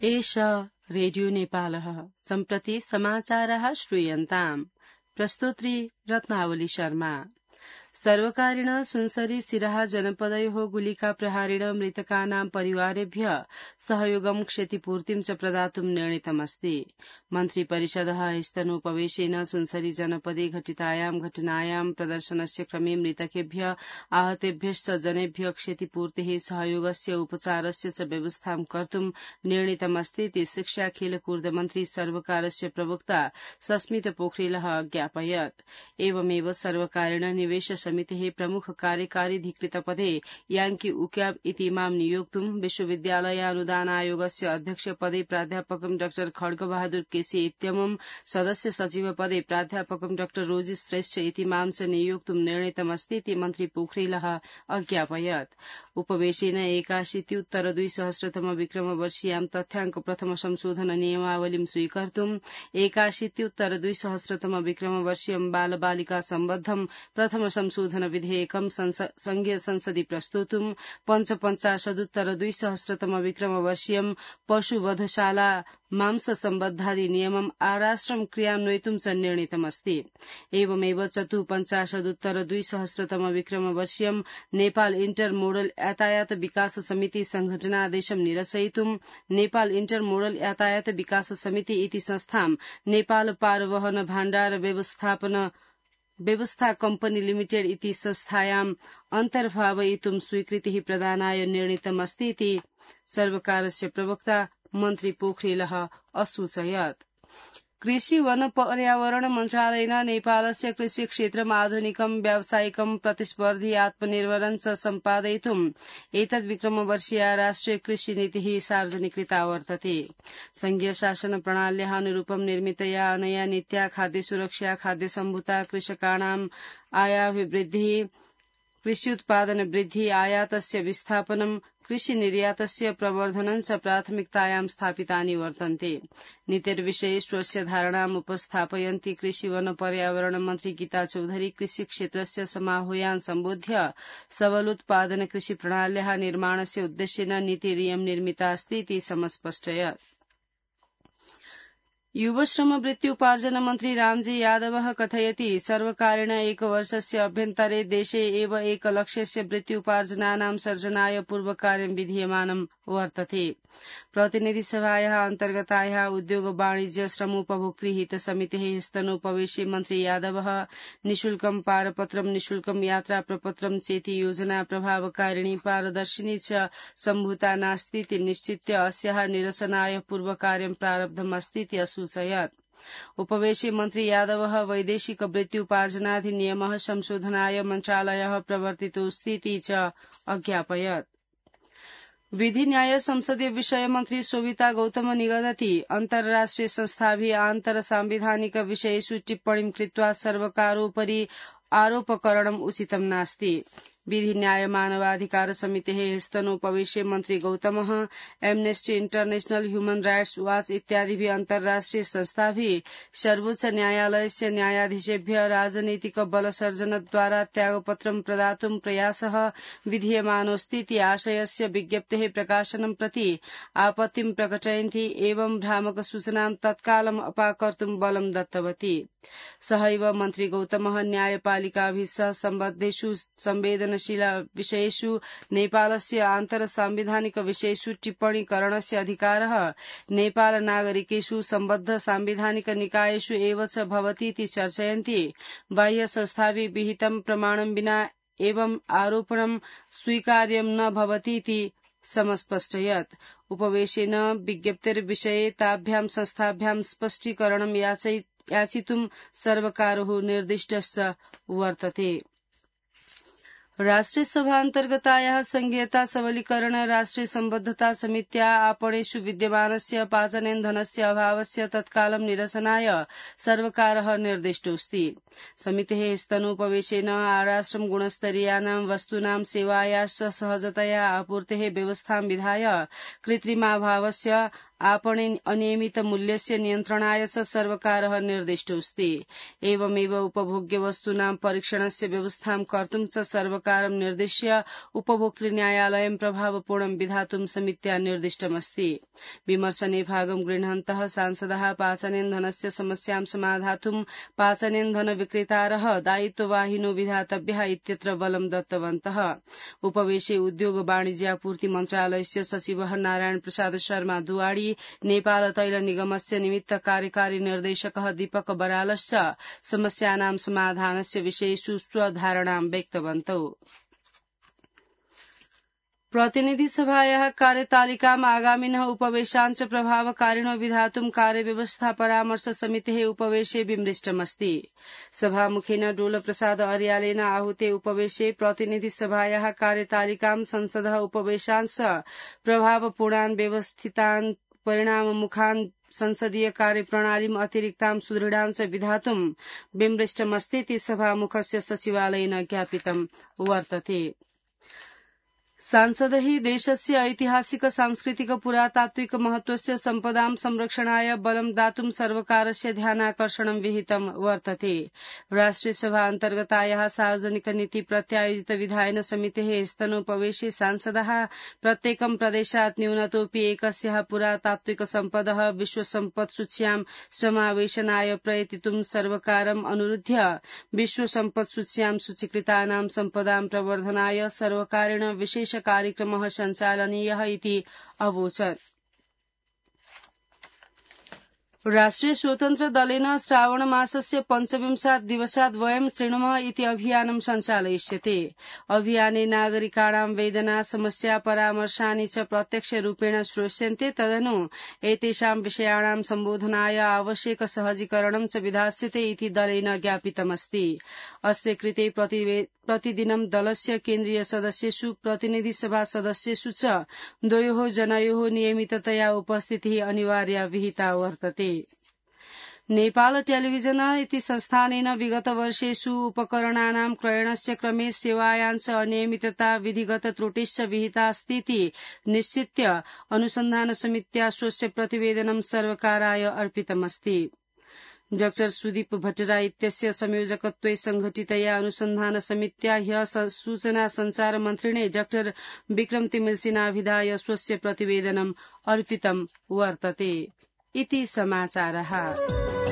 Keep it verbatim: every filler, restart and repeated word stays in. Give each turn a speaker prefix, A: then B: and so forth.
A: एष रेडियो नेपालः सम्प्रति समाचारः श्रूयन्ताम्। प्रस्तोत्री रत्नावली शर्मा। सर्वकारेण सुनसरी सिराहा जनपदयोः गुलिका प्रहारेण मृतकानां परिवारेभ्य सहयोगं क्षतिपूर्तिं च प्रदातुं निर्णीतमस्ति। मन्त्रिपरिषदः स्तनोपवेशेन सुनसरी जनपदे घटितायां घटनायां प्रदर्शनस्य क्रमे मृतकेभ्य आहतेभ्यश्च जनेभ्य क्षतिपूर्तेः सहयोगस्य उपचारस्य च व्यवस्थां कर्तुं निर्णीतमस्ति इति शिक्षा खेलकूद मन्त्री सर्वकारस्य प्रवक्ता सस्मित पोखरेलः अज्ञापयत्। एवमेव सर्वकारेण निवेश समितेः प्रमुख कार्यकारीधिकृतपदे याङ्की उक्याब इति इमां नियोक्तुं विश्वविद्यालय अनुदान आयोगस्य अध्यक्षपदे प्राध्यापकं डाक्टर खड्गबहादुर केसी इत्यमुं सदस्य सचिवपदे प्राध्यापकं डाक्टर रोजी श्रेष्ठ इतिमां च नियोक्तुं निर्णीतमस्ति इति मन्त्री पोखरेलः अज्ञापयत्। उपवेशेन एकाशीत्युत्तर द्विसहस्रतम विक्रमवर्षीयां तथ्याङ्क प्रथम संशोधन नियमावलीं स्वीकर्तुं एकाशीत्युत्तर द्विसहस्रतम विक्रमवर्षीयं बाल बालिका सम्बद्धं प्रथम संशोधन विधेयकं संघीय संसदि प्रस्तोतुं पञ्चपञ्चाशदुत्तर द्विसहस्रतम विक्रमवर्षीयं पशुवधशाला मांस सम्बद्धादि नियमम् आराष्ट्रं क्रियान्वयितुं च निर्णीतमस्ति। एवमेव चतुःपञ्चाशदुत्तर द्विसहस्रतम विक्रमवर्षीयं नेपाल इन्टर मोडल यातायात विकास समिति संघटनादेशं निरसयितुं नेपाल इन्टर मोडल यातायात विकास समिति इति संस्थां नेपाल पारवहन भाण्डार व्यवस्थापन व्यवस्था कम्पनी लिमिटेड इति संस्थायाम् अन्तर्भावयितुं स्वीकृतिः प्रदानाय निर्णीतमस्ति इति सर्वकारस्य प्रवक्ता मन्त्री पोखरेलः असूचयत्। कृषि वन पर्यावरण मन्त्रालयेन नेपालस्य कृषि क्षेत्रम् आधुनिकं व्यावसायिकं प्रतिस्पर्धी आत्मनिर्भरं च सम्पादयितुम् एतद् विक्रमवर्षीया राष्ट्रिय कृषि नीतिः सार्वजनिकृता वर्तते। संघीय शासन प्रणाल्याः अनुरूपं निर्मितया अनया नीत्या खाद्य सुरक्षा, खाद्य सम्भुता, कृषकाणाम् आयाभिवृद्धिः, कृषि उत्पादन वृद्धि, आयातस्य विस्थापनं, कृषि निर्यातस्य प्रवर्धनं च प्राथमिकतायां स्थापितानि वर्तन्ते। नीतिर्विषये स्वस्य धारणाम् उपस्थापयन्ती कृषि वन पर्यावरण मन्त्री गीता चौधरी कृषि क्षेत्रस्य समाहूयान् सम्बोध्य सबलोत्पादन कृषि प्रणाल्याः निर्माणस्य उद्देश्येन नीतिरियं निर्मिता अस्ति इति समस्पष्टयत्। युवश्रम वृत्त्युपार्जन मन्त्री रामजी यादवः कथयति सर्वकारेण एकवर्षस्य अभ्यन्तरे देशे एव एकलक्षस्य वृत्त्युपार्जनानां सर्जनाय पूर्वकार्यं विधीयमानं वर्तते। प्रतिनिधिसभायाः अन्तर्गतायाः उद्योग वाणिज्य श्रमोपभोक्तृहित समितेः स्तनोपवेशे मन्त्री यादवः निःशुल्कं पारपत्रं, निःशुल्कं यात्रा प्रपत्रं चेति योजना प्रभावकारिणी पारदर्शिनी च सम्भूता नास्ति इति निश्चित्य अस्याः निरसनाय पूर्वकार्यं प्रारब्धमस्ति इति असूचयत्। उपवेशे मन्त्री यादवः वैदेशिक वृत्त्युपार्जनाधिनियमः संशोधनाय मन्त्रालयः प्रवर्तितोऽस्ति इति च अज्ञापयत्। विधि न्याय संसदीय विषय मन्त्री शोभिता गौतम निगदति अन्तर्राष्ट्रिय संस्थाभिः आन्तर सांविधानिक विषयेषु टिप्पणीं कृत्वा सर्वकारोपरि आरोपकरणम् उचितं नास्ति। विधि न्याय मानवाधिकार समितेः स्तनोपवेशे मन्त्री गौतमः एम्नेस्टी इन्टरनेशनल, ह्यूमन राइट्स वाच इत्यादिभिः अन्तर्राष्ट्रिय संस्थाभिः सर्वोच्च न्यायालयस्य न्यायाधीशेभ्यः राजनैतिक बलसर्जनद्वारा त्यागपत्रं प्रदातुं प्रयासः विधीयमानोऽस्ति इति आशयस्य विज्ञप्तेः प्रकाशनं प्रति आपत्तिं प्रकटयन्ती एवं भ्रामक सूचनां तत्कालम् अपाकर्तुं बलं दत्तवती। सहैव मन्त्री गौतमः न्यायपालिकाभिः सह सम्बद्धेषु संवेदनशील विषयेषु नेपालस्य आन्तर सांविधानिक विषयेषु टिप्पणी करणस्य अधिकारः नेपाल नागरिकेषु सम्बद्ध सांविधानिक निकायेषु एव च भवति इति चर्चयन्ति बाह्य संस्थाभिः विहितं प्रमाणं विना एवं आरोपणं स्वीकार्यं न भवति इति समस्पष्टयत्। उपवेशेन विज्ञप्तिर्विषये ताभ्यां संस्थाभ्यां स्पष्टीकरणं याचितुं सर्वकारः निर्दिष्टश्च वर्तते। राष्ट्रिय सभा अन्तर्गतायाः संघीयता सबलीकरण राष्ट्रिय सम्बद्धता समित्या आपणेषु विद्यमानस्य पाचनेन्धनस्य अभावस्य तत्कालं निरसनाय सर्वकारः निर्दिष्टोऽस्ति। समितेः स्तनोपवेशेन आराष्ट्रं गुणस्तरीयानां वस्तूनां सेवायाश्च सहजतया आपूर्तेः व्यवस्थां विधाय कृत्रिमाभावस्य आपणे अनियमित मूल्यस्य नियन्त्रणाय च सर्वकारः निर्दिष्टोऽस्ति। एवमेव उपभोग्यवस्तूनां परीक्षणस्य व्यवस्थां कर्तुं च सर्वकारं निर्दिश्य उपभोक्तृन्यायालयं प्रभावपूर्णं विधातुं समित्या निर्दिष्टमस्ति। विमर्शने भागं गृह्णन्तः सांसदः पाचनेन्धनस्य समस्यां समाधातुं पाचनेन्धन विक्रेतारः दायित्ववाहिनो विधातव्यः इत्यत्र बलं दत्तवन्तः। उपवेशे उद्योग वाणिज्यापूर्ति मन्त्रालयस्य सचिवः नारायण प्रसाद शर्मा दुवाडी, नेपाल तैल निगमस्य निमित्त कार्यकारी निर्देशकः दीपक बरालश्च समस्यानां समाधानस्य विषयेषु स्वधारणां व्यक्तवन्तौ। प्रतिनिधि सभायाः कार्यतालिकाम् आगामिनः उपवेशाञ्च प्रभावकारिणो विधातुं कार्यव्यवस्था परामर्श समितेः उपवेशे विमृष्टमस्ति। सभामुखेन डोलप्रसाद अर्यालेन आहुते उपवेशे प्रतिनिधि सभायाः कार्यतालिकां संसदः उपवेशांश प्रभावपूर्णान् व्यवस्थितान् परिणाममुखान् संसदीय कार्यप्रणालीम् अतिरिक्तां सुदृढां च विधातुं विमृष्टमस्तीति सभामुखस्य सचिवालयेन ज्ञापितं वर्तते। सांसदैः देशस्य ऐतिहासिक सांस्कृतिक पुरातात्विक महत्वस्य सम्पदां संरक्षणाय बलं दातुं सर्वकारस्य ध्यानाकर्षणं विहितं वर्तते। राष्ट्रियसभा अन्तर्गतायाः सार्वजनिक नीति प्रत्यायोजित विधायन समितेः स्तनोपवेशे सांसदः प्रत्येकं प्रदेशात् न्यूनतोऽपि एकस्याः पुरातात्विक सम्पदः विश्वसम्पत्सूच्यां समावेशनाय प्रयतितुं सर्वकारम् अनुरुध्य विश्वसम्पत्सूच्यां सूचीकृतानां सम्पदां प्रवर्धनाय सर्वकारेण विशेष कार्यक्रमः सञ्चालनीयः इति अवोचत्। राष्ट्रिय स्वतन्त्र दलेन श्रावण मासस्य पञ्चविंशात् दिवसात् वयं शृणुमः इति अभियानं सञ्चालयिष्यते। अभियाने नागरिकाणां वेदना समस्या परामर्शानि च प्रत्यक्षरूपेण श्रोष्यन्ते। तदनु एतेषां विषयाणां सम्बोधनाय आवश्यक सहजीकरणं च विधास्यते इति दलेन ज्ञापितमस्ति। अस्य कृते प्रतिदिनं दलस्य केन्द्रीय सदस्येषु प्रतिनिधि सभा सदस्येषु च द्वयोः जनयोः नियमिततया उपस्थितिः अनिवार्या विहिता वर्तते। नेपाल टेलिभिजन इति संस्थानेन विगत वर्षेषु उपकरणानां क्रयणस्य क्रमे सेवायांश अनियमितता विधिगत त्रुटिश्च विहितास्तीति निश्चित्य अनुसन्धान समित्या स्वस्य प्रतिवेदनं सर्वकाराय अर्पितमस्ति। डॉक्टर सुदीप भट्टरा इत्यस्य संयोजकत्वे संघटितया अनुसन्धान समित्या ह्यः सूचना संचार मन्त्रिणे डॉक्टर विक्रम तिमिल्सिनाभिधाय स्वस्य प्रतिवेदनम् अर्पितं वर्तते। इति समाचारः।